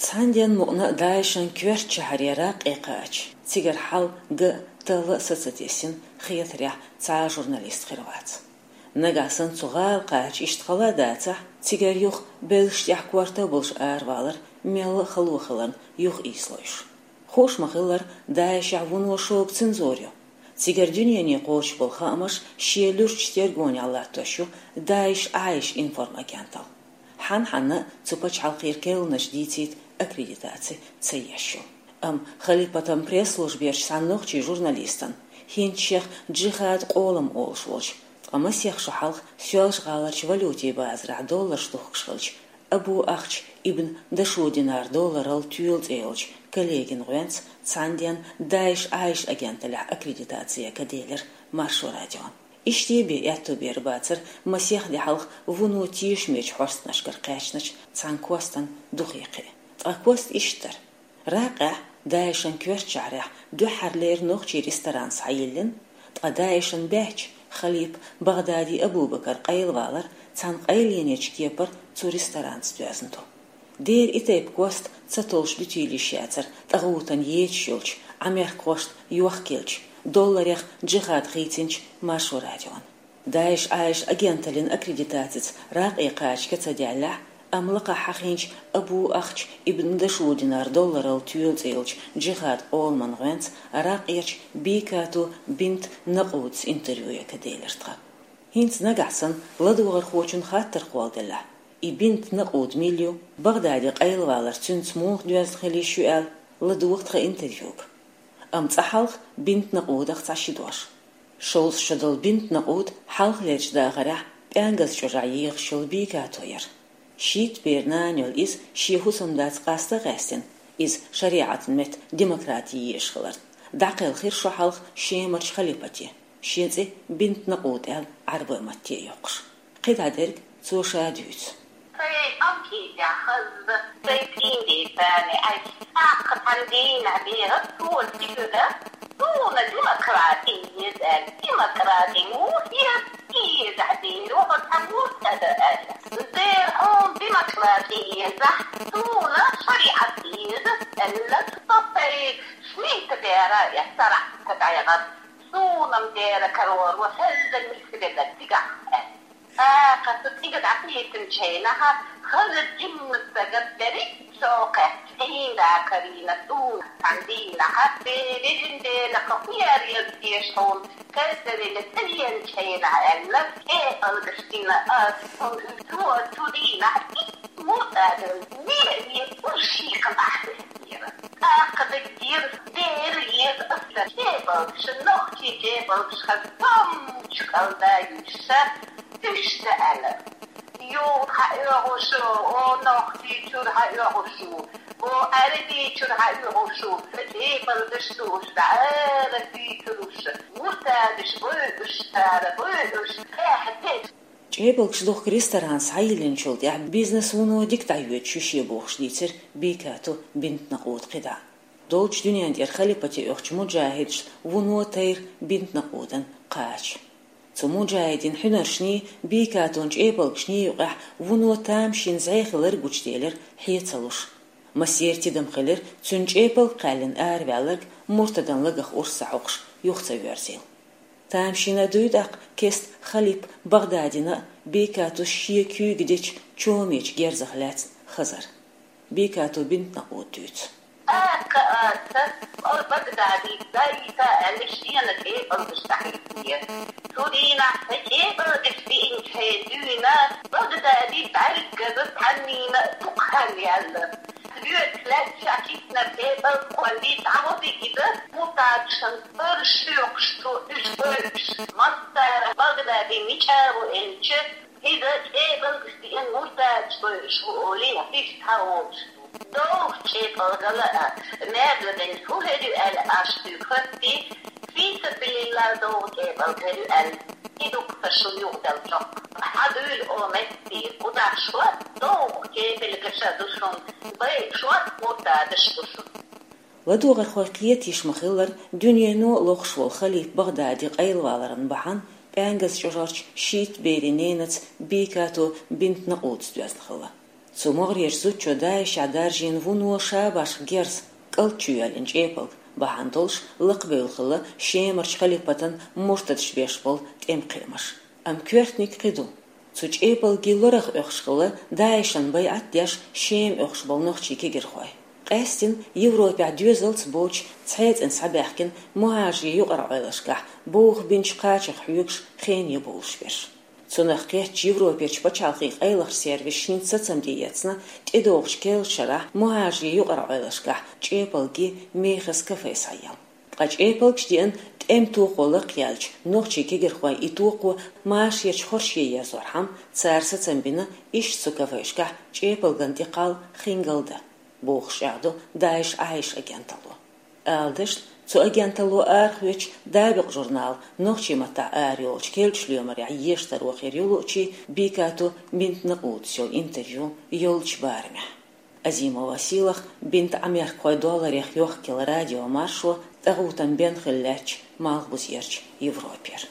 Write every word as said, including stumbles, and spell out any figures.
Цхьаннен мукъана ДАИШ-ан коьртачу шахьаре ракъе кхача, цигара хьал ган, талла а са ца тесна, хетарехь, цхьа а журналист хир вац. Нагахь санна цу гӀала кхача иштта хала а дацахь, цигара юха белшаш тӀехь корта а болуш аравалар мелла а хало хиларна юха ийсалойш. Хууш ма-хиллара, ДАИШ-ехь вуно шога цензура ю. Цигара дуьнене кхочуш болу хаамаш шен луьрачу тергонехь латтош ю ДАИШ-АИШ информагенталла. Хьан-хьанна а цу пачхьалкхера керланаш дийцийта аккредитаци ца еш ю. Амма Халипатан пресс-служберчу цхьана нохчийн журналистана, хӀинца шех джихад къолам олуш волчу, ткъа масех шо хьалха Соьлжа-ГӀаларчу валютийн базарахь долларш духкуш хилча, Абу Ахч ибн Дашудинар долларал тоьла цӀе йолчу коллегин гӀоьнца цхьаннен ДАИШ-АИШ агенталлехь аккредитаци ян ка делира Маршо радиона. Иштта бен аьтто бер бацара масех де хьалха вуно тешамечу хьостанашкара кхаьчначу цхьана костан духе кхиа. Ткъа кост иштта дара: ракъехь, ДАИШ-ан коьртачу шахьарехь дуьххьарлера нохчийн ресторан схьайиллина, ткъа ДАИШ-ан баьхча, Халипа Багъдади Абубакар къайлавалар цхьана къайленечу кепара цу ресторанца доьзна ду. Дера и тайпа кост ца толлуш дуьтийла йиш яцара тӀагӀутана ецаш йолчу Ӏамеркахошна йохкаеллачу, долларех джихад хийцинчу Маршо радиона. ДАИШ-АИШ агенталлин аккредитацица ракъе кхача ка ца даьллехь, амма лакхахь хьахийначу Абу Ахч ибн Дашудинар долларал тоьла цӀе йолчу джихад къоламан гӀоьнца ракъерчу Бикату бинт Накъудас интервью ян ка делира тхан. ХӀинца нагахь санна ладогӀархочун хаттар кхолладеллехь, и бинт Накъуд мила ю, Багъдади къайлавалар цуьнца муха доьзна хила йиш ю аьлла, ладогӀа тхан интервьюга. Амма цкъа хьалха бинт Накъудах цхьа ши дош. Шовзткъа шо долу бинт Накъуд хьалхалерчу дахарехь ПӀаьнгаза чӀожахь ехаш йолу Бикато яра. Шийтта бер нана йолу иза шен хӀусамдаца къаста а къаьстина, иза шариӀатан метта демократи езаш хиларна, дӀакхелхира шо хьалха Шемарчу халипате, шен цӀе бинт Накъуд аьлла Ӏарбойн матте а йоккхуш. КхидӀа дерг цо ша дуьйцу. Сайн къамкъий тӀехь хаза, сайн тӀинден царна Ӏаьржа, тӀаккха цхьана дийнахь бен ас цо тӀехуьлу, суна демократи еза аьлла. Демократи муха еза? Езахь дийр ву хьо цхьа муртада аьлла. Дера хьуна демократи езахь, суна шариӀат еза аьлла. Со сайн шийтта бер а эцна, царахь ца дӀайгӀарна. Суна-м дера карор ву хӀелла нисвелла цигахь аьлла. ТӀаккха цу цӀийга дӀакхийтинчу хенахь, хаза жимма стаг дерриг а чӀогӀа кхаьчна, хьийна карийна суна цхьана дийнахь, бе-, везан Дела, кху хӀун яр еза теша хьуна, кхаьчна велла цӀа веанчу хенахь аьлла, тӀе алгаш дина ас, хьуна уьш цо цу дийнахь итт муртада ве а ве, уьш шийкхана ахь вехкера. ТӀаккха даггера дера еза аса чӀепалгаш, нохчийн чӀепалгаш хаза томмачу кӀалда йуьйша, уьш ца аьлла. Юха хьаоьхуш, о, нохчий чуьра хьаоьхуш ву, о, Ӏаьрбий чуьра хьаоьхуш ву, сан чӀепалгаш ду уьш, дӀа ара дуьйцур уьш, муртадаш бу уьш, цара бу уьш, эхь деш. ЧӀепалгаш духку ресторан схьайиллинчул тӀаьхьа бизнес вуно дика дӀайоьдуш ю шен бохуш дийцира Бикату бинт Накъуда кхидӀа. Долчу дуьнен тӀера халипате оьхучу муджахӀидашна вуно тайра бинт Накъудан кхача. Цу муджахӀидийн хьуьнаршний, Бикатун чӀепалгашний юкъехь вуно тамашийна зӀе хилар гучуделира хье ца луш. Массеран тидам хилира цуьнан чӀепалг кхаьллина араваьлларг муртадан лагах урс ца хьокхуш юха ца воьрзийла. Тамашийна дуй тӀаккха кеста Халип Багъдадина а, Бикатус шен куьйга дечу чомечу герзах лаьцна хазар. Бикату бинт Накъуда дуьйцу. ТӀаккха аса, о, Багъдадица дайта аьлла, шена чӀепалгаш дӀахӀиттинера. Цу дийнахь сан чӀепалгаш биъинчу хенахь дуьйна, Багъдади бӀаьргаза цхьаннийна а дукха хан яьлла. Доьдуш лаьтташ а киснар чӀепалг кхоллий, дӀагӀо дигида, муртадашна ара шоькхуш цо уьш бойуш. Массара Багъдади мича ву элча, иза чӀепалгаш диъна муртадаш бойуш ву олий, иштта хьа волуш. ДовгӀа чӀепалгала а, маьрла ден хӀу хир ю аьлла, аш дуьйху хӀоьттий, фи сабилиллахӀ довгӀа чӀепалг хир ю аьлла, и дукха сан шун юкъаделла чӀокх. Хьадуьйла, о, меттиг, кху дахь шо, довгӀа чӀепалгаш а ду шун, бай шо, муртадаш ду шун. ЛадогӀархой кхетийша ма-хиллара, дуьнено а лохуш волу Халип Багъдади къайлаваларан бахьана ПӀаьнгаза чӀожарчу шийтта берийн ненаца Бикату бинт Накъудас доьзна хилла. Цу могӀарерчу зудчо ДАИШехь даржийна вуно шабашкан герз, кӀалт чу йоьллина чӀепалг, бахьана долуш лакхабевлла хилла Шемарчу халипатан муртадаш беш болу тӀеман кхиамаш. Амма коьртаниг кхин ду. Цу чӀепалгий лорах оьхуш хилла ДАИШан байӀат деш Шема оьхуш болу нохчийн кегийрхой. Къаьсттина Европехь доьзалц боцуш цхьаьна схьабаьхкина мухӀажарийн юкъара Ӏойлашкахь бовха бинчу кхачех хьоьгуш хене бовлуш берш. Цунах кхеттачу Европерчу пачхьалкхийн къайлахчу сервисаша хӀинца сацам де эцна, тӀедогӀучу керлачу шарахь мухӀажарийн юкъара Ӏойлашкахь чӀепалгий мехаза кафе схьаелла. Ткъа чӀепалгаш деана тӀеман тохо лакхъяьллачу нохчийн кегийрхойн и тохо машарерчу хорше ерзорхьама, цара сацам бина иштта цу кафешкахь чӀепалган тӀе кхалла хингал дан, бохуш чӀагӀдо ДАИШ Ӏайша агенталло. Ала дашна, цу агенталло арахоьцучу «Дабикъ» журнала нохчийн маттахь арайолучу керлачу лоьмарехь ешан таро хир ю луучу Бикату Бинт Накъудас йолу интервью йолчу барамехь. Азимова Сийлаха, Бинт Ӏамеркахой долларех йохкаелла радиомаршо, тӀагӀутан бен хилла лаьттачу Малхбузерчу Европера.